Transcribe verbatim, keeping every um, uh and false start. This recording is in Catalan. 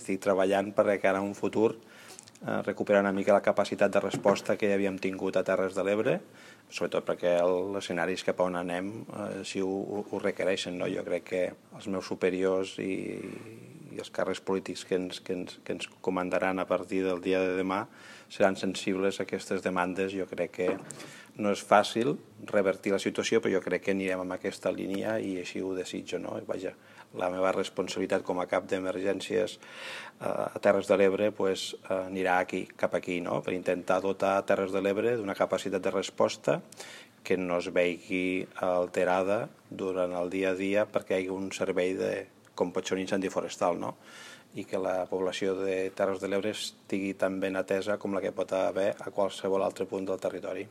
estic treballant perquè ara en un futur eh, recuperar una mica la capacitat de resposta que havíem tingut a Terres de l'Ebre, sobretot perquè els escenaris cap a on anem eh, si ho, ho requereixen. No? Jo crec que els meus superiors i, i els càrrecs polítics que ens, que, ens, que ens comandaran a partir del dia de demà seran sensibles a aquestes demandes. Jo crec que no és fàcil revertir la situació, però jo crec que anirem en aquesta línia i així ho desitjo. No? Vaja, la meva responsabilitat com a cap d'emergències eh, a Terres de l'Ebre pues, eh, anirà aquí, cap aquí, no? Per intentar dotar Terres de l'Ebre d'una capacitat de resposta que no es vegi alterada durant el dia a dia perquè hi hagi un servei de, com pot ser un incendi forestal, no? I que la població de Terres de l'Ebre estigui tan ben atesa com la que pot haver a qualsevol altre punt del territori.